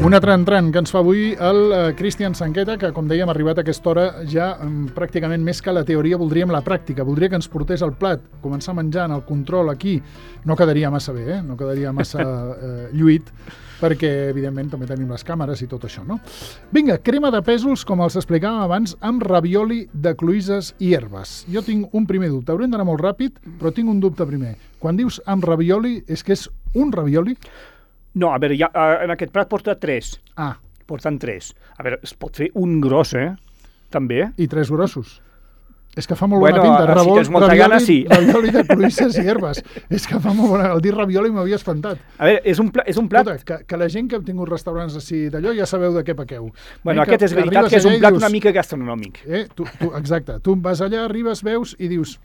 Un altre entrant que ens fa avui el Cristian Sanqueta, que, com dèiem, arribat a aquesta hora ja pràcticament més que la teoria voldríem la pràctica. Voldria que ens portés el plat, començar menjant, el control aquí. No quedaria massa bé, no quedaria massa lluït, perquè, evidentment, també tenim les càmeres i tot això, no? Vinga, crema de pèsols, com els explicàvem abans, amb ravioli de cloïsses i herbes. Jo tinc un primer dubte. Haurem d'anar molt ràpid, però tinc un dubte primer. Quan dius amb ravioli, és que és un ravioli? No, a veure, en aquest plat porta 3. Ah. Porten 3. A veure, es pot fer un gros, també. I 3 grossos. És que fa molt bona pinta. Si tens molta gana, sí. Ravioli de cloïsses i herbes. És que fa molt bona... El dir ravioli m'havia espantat. A veure, és un plat... Escolta, que la gent que ha tingut restaurants així d'allò ja sabeu de què pequeu. Bueno, aquest és veritat que és un plat una mica gastronòmic. Exacte. Tu vas allà, arribes, veus i dius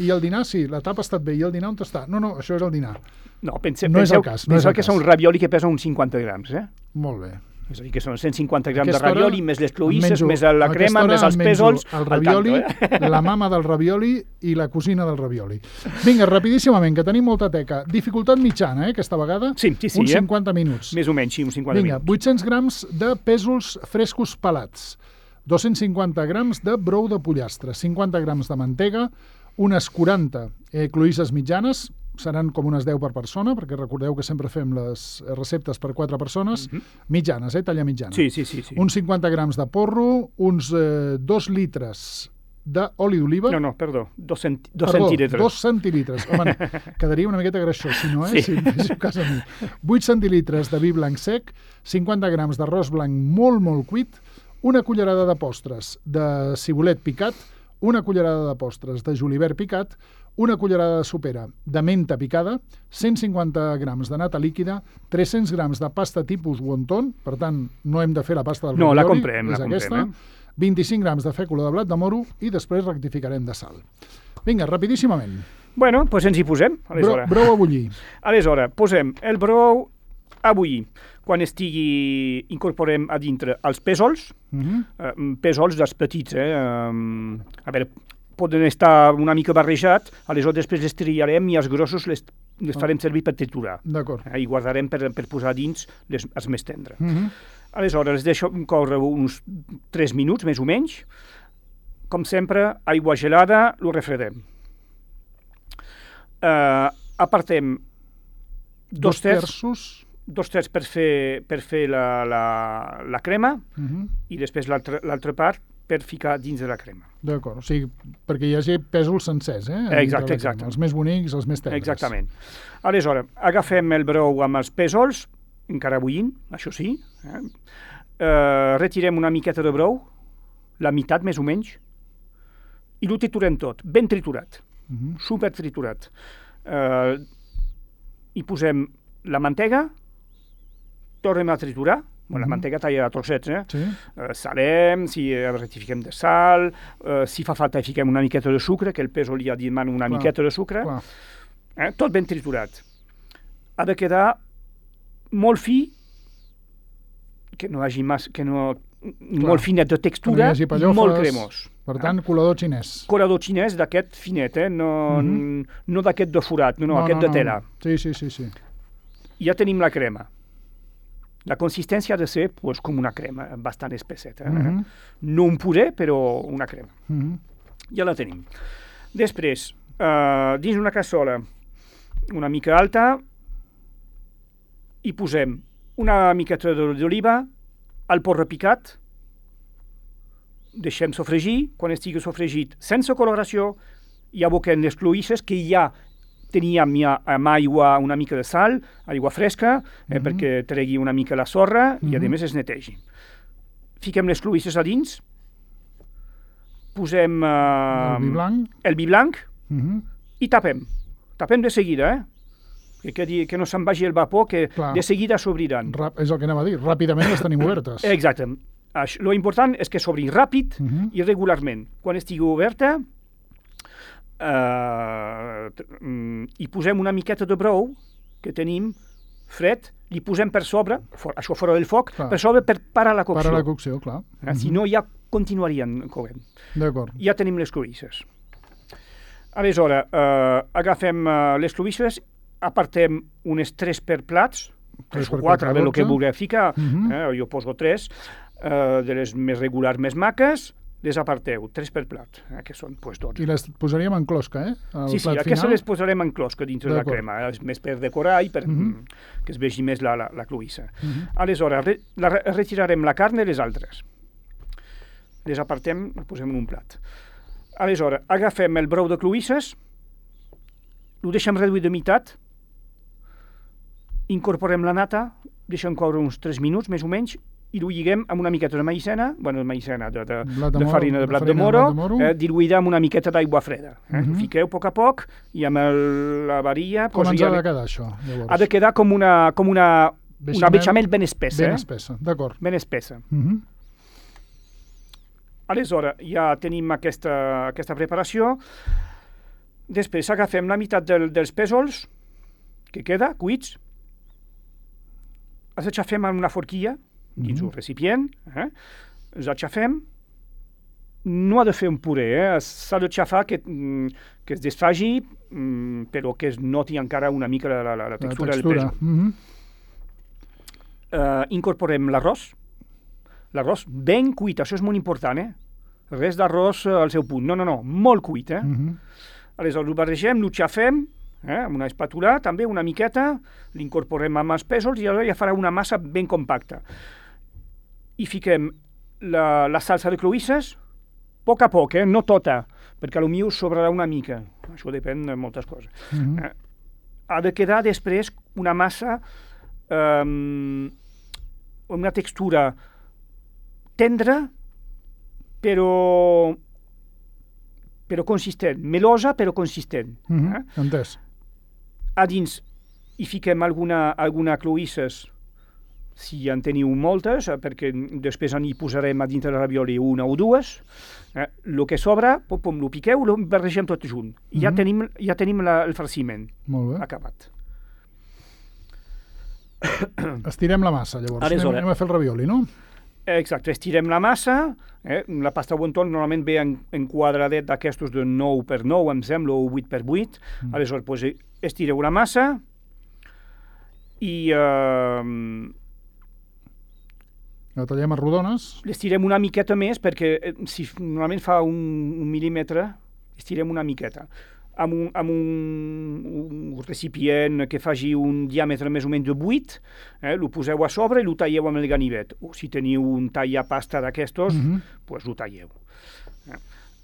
i el dinar, sí, la tapa ha estat bé. I el dinar on està? No, això és el dinar. No, penseu que són ravioli que pesen uns 50 grams, Molt bé. És a dir, que són 150 grams de ravioli, més les cloïsses, més la crema, més els pèsols... El ravioli, la mama del ravioli i la cosina del ravioli. Vinga, rapidíssimament, que tenim molta teca. Dificultat mitjana, aquesta vegada? Sí. Uns 50 minuts. Més o menys, sí, uns 50 minuts. Vinga, 800 grams de pèsols frescos pelats, 250 grams de brou de pollastre, 50 grams de mantega, unes 40 cloïsses mitjanes, seran com unes 10 per persona, perquè recordeu que sempre fem les receptes per 4 persones, mitjanes, talla mitjana. Sí. Uns 50 grams de porro, uns 2 litres d'oli d'oliva... No, perdó, 2 centilitres. 2 centilitres. Home, quedaria una miqueta greixós, si no, Sí. Si fes cas a mi. 8 centilitres de vi blanc sec, 50 grams d'arròs blanc molt, molt cuit, una cullerada de postres de cibulet picat, una cullerada de postres de julivert picat, una cullerada de sopera de menta picada, 150 grams de nata líquida, 300 grams de pasta tipus wonton, per tant, no hem de fer la pasta del ravioli. No, la comprem. 25 grams de fècula de blat de moro i després rectificarem de sal. Vinga, rapidíssimament. Bueno, doncs ens hi posem, aleshores. Brou a bullir. Aleshores, posem el brou a bullir. Quan incorporem a dintre els pèsols, pèsols dels petits, a veure, poden estar una mica barrejats, aleshores després les triarem i els grossos les farem servir per triturar. D'acord. I guardarem per posar dins els més tendres. Aleshores, les deixo córrer uns 3 minuts, més o menys. Com sempre, aigua gelada, lo refredem. Apartem 2 terços per fer la crema i després l'altra part per ficar dins de la crema. D'acord, o sigui, perquè hi hagi pèsols sencers, Exacte. Els més bonics, els més tendres. Exactament. Aleshores, agafem el brou amb els pèsols, encara bullint, això sí, retirem una miqueta de brou, la meitat més o menys, i ho triturem tot, ben triturat, super triturat. Hi posem la mantega, tornem a triturar, la mantega talla a trossets, Sí. Salem, si rectifiquem de sal, si fa falta fiquem una miqueta de sucre, que el pèsol ja demana una miqueta de sucre, tot ben triturat. Ha de quedar molt fi, que no hagi molt finet de textura i molt cremós. Per tant, colador xinès. Colador xinès d'aquest finet, no d'aquest de forat, no, aquest de tela. Sí. Ja tenim la crema. La consistència ha de ser com una crema, bastant espesseta. No un puré, però una crema. Ja la tenim. Després, dins una cassola una mica alta, hi posem una miqueta d'oliva, el porro picat, deixem sofregir, quan estigui sofregit sense coloració, hi aboquem les cloïsses que ja teníem ja amb aigua, una mica de sal, aigua fresca, perquè tregui una mica la sorra i, a més, es netegi. Fiquem les cloïsses a dins, posem el vi blanc i tapem. Tapem de seguida, que no se'n vagi el vapor, que de seguida s'obriran. És el que anem a dir, ràpidament les tenim obertes. Exacte. Lo important és que s'obri ràpid i regularment. Quan estigui oberta, hi posem una miqueta de brou que tenim fred, li posem per sobre, això fora del foc, per sobre per parar la cocció. Parar la cocció, clar. Si no, ja continuarien coent. D'acord. Ja tenim les cloïsses. Aleshores, agafem les cloïsses, apartem unes 3 per plats, 3 o 4, a veure el que vulgueu ficar. Jo poso 3, de les més regulars, més maques, les aparteu, 3 per plat, que són 12. I les posaríem en closca, Sí, aquestes les posarem en closca dintre de la crema, més per decorar i per que es vegi més la cloïssa. Aleshores, retirarem la carn de les altres. Les apartem, les posem en un plat. Aleshores, agafem el brou de cloïsses, ho deixem reduir de meitat, incorporem la nata, deixem coure uns 3 minuts, més o menys, i ho lliguem amb una miqueta de maïzena, de farina de blat de moro, diluïda amb una miqueta d'aigua freda. Ho fiqueu a poc i amb la varilla... Com ens ha de quedar, això, llavors? Ha de quedar com una bechamel ben espessa. Ben espessa, d'acord. Ben espessa. Aleshores, ja tenim aquesta preparació. Després agafem la meitat dels pèsols que queda, cuits, els aixafem en una forquilla, dins un recipient, els aixafem, no ha de fer un puré, s'ha d'aixafar que es desfagi, però que es noti encara una mica la textura del pèsol. Incorporem l'arròs ben cuit, això és molt important, res d'arròs al seu punt, no, molt cuit, Aleshores, ho barregem, ho xafem, amb una espàtula, també una miqueta, l'incorporem amb els pèsols i ja farà una massa ben compacta. I fiquem la salsa de cloïsses, a poc, no tota, perquè potser sobrarà una mica. Això depèn de moltes coses. Ha de quedar després una massa amb una textura tendra, però consistent, melosa però consistent. Entès. A dins hi fiquem alguna cloïsses, si en teniu moltes, perquè després hi posarem a dintre de ravioli una o dues. El que sobra, lo piqueu, lo barregem tot junt. I ja tenim el farciment acabat. Estirem la massa, llavors. Anem a fer el ravioli, no? Exacte, estirem la massa, la pasta wonton normalment ve en quadradet d'aquestos de 9 per 9, em sembla, o 8 per 8, aleshores estireu la massa i la tallem a rodones. L'estirem una miqueta més perquè si normalment fa un mil·límetre, estirem una miqueta. Amb un recipient que faci un diàmetre més o menys de 8, lo poseu a sobre i lo talleu amb el ganivet. O si teniu un tallapasta d'aquestos, doncs lo talleu.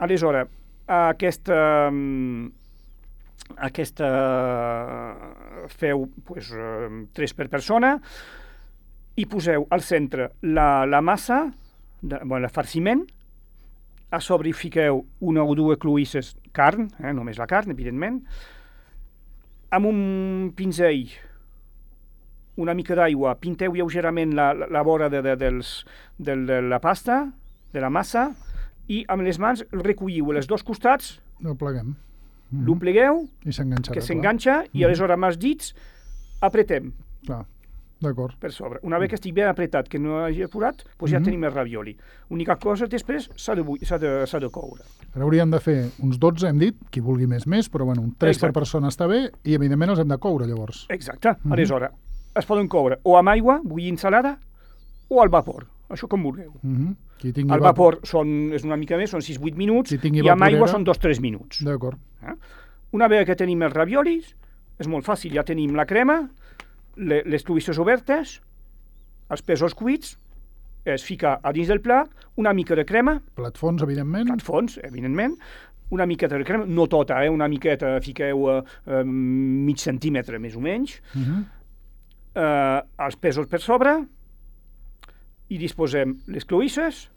Aleshores, aquesta feu 3 per persona i poseu al centre la massa, el farciment. A sobre hi fiqueu una o dues cloïsses carn, només la carn, evidentment, amb un pinzell, una mica d'aigua, pinteu lleugerament la vora de la pasta, de la massa, i amb les mans recolliu els dos costats, el pleguem. Lo plegueu, que s'enganxa, i aleshores amb els dits apretem. Clar. D'acord. Per sobre. Una vegada que estigui ben apretat, que no hagi apurat, doncs ja tenim el ravioli. L'única cosa després s'ha de coure. Ara hauríem de fer uns 12, hem dit, qui vulgui més, però bueno, un 3 per persona està bé, i evidentment els hem de coure, llavors. Exacte. Aleshores, es poden coure o amb aigua, bullint salada, o al vapor. Això com vulgueu. Al vapor és una mica més, són 6-8 minuts, i amb aigua són 2-3 minuts. D'acord. Una vegada que tenim els raviolis, és molt fàcil, ja tenim la crema, les cloïsses obertes, els pèsols cuits, es fica a dins del plat, una mica de crema. Plat fons, evidentment. Plat fons, evidentment. Una miqueta de crema, no tota, una miqueta, fiqueu mig centímetre, més o menys. Els pèsols per sobre, i disposem les cloïsses,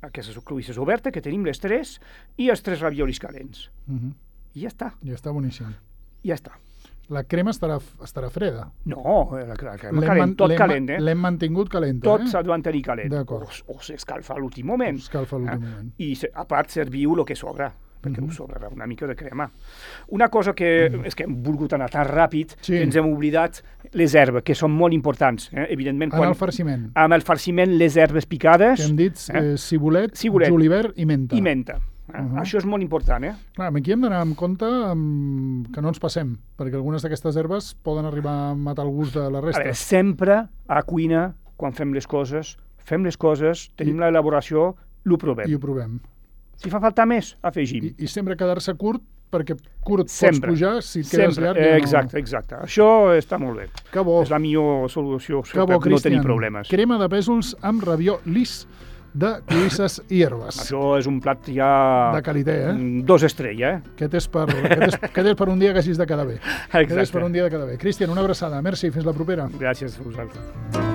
aquestes cloïsses obertes, que tenim les 3, i els 3 raviolis calents. I ja està. Ja està boníssim. Ja està. La crema estarà freda. No, la crema calent, tot calent. L'hem mantingut calenta. Tot s'ha de mantenir calent. D'acord. O s'escalfa a l'últim moment. Moment. I a part serviu el que sobra, perquè us sobrarà una mica de crema. Una cosa que és que hem volgut anar tan ràpid que ens hem oblidat les herbes, que són molt importants. Evidentment, en el farciment. Amb el farciment, les herbes picades. Que hem dit cibulet, julivert i menta. I menta. Això és molt important, Clar, aquí hem d'anar amb compte que no ens passem, perquè algunes d'aquestes herbes poden arribar a matar el gust de la resta. A veure, sempre a cuina, quan fem les coses, tenim l'elaboració, ho provem. I ho provem. Si fa falta més, afegim. I sempre quedar-se curt, perquè curt sempre. Pots pujar, si et quedes llarg... Ja exacte. Això està molt bé. Que bo. És la millor solució que bo, per no tenir problemes. Crema de pèsols amb rabió lis de cloïsses i herbes. Això és un plat ja... De qualitat, 2 estrelles, Aquest és per un dia que hagis de quedar bé. Exacte. Aquest és per un dia de quedar bé. Cristian, una abraçada. Merci, fins la propera. Gràcies a vosaltres.